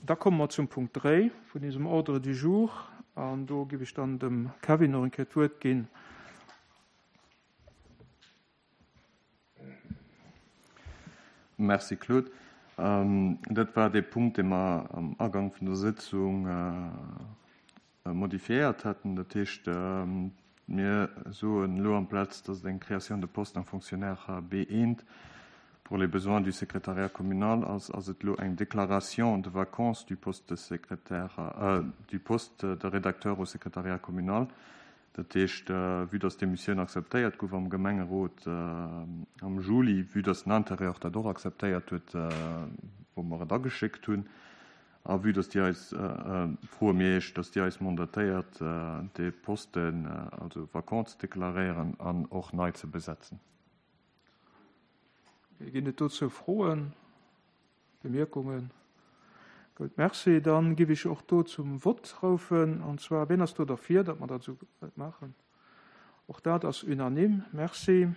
Da komme mer zum Punkt 3 vun eisem Ordre du jour an do giff ech dann dem Kevin och eng Kéier d'Wuert ginn. Merci Claude. Dat war dee Punkt, dee mer am Agank vun der Sëtzung modifiéiert haten. Dat heescht, mir soen elo amplaz, dass et eng Création de poste en fonctionnaire B1 pour les besoins du secrétariat communal ass, ass et elo eng Déclaration de vacance du poste de secrétaire, du poste de rédacteur au secrétariat communal. Dat heescht, vue dass d'Demissioun akzeptéiert gouf am Gemengerot am Juli, vue dass den Intérieur dat och akzeptéiert huet, wou mer et ageschéckt hunn, a vue dass Dir eis, froe mir Iech, dass Dir eis mandatéiert, dee Posten also vacant ze deklaréieren an och nei ze besetzen. Ginn et dozou Froen? Bemierkungen? Gutt, Merci. Dann giff ech och do zum Vott roufen. An zwar, wien ass do derfir, datt mer dat esou maachen? Och dat ass unanime. Merci.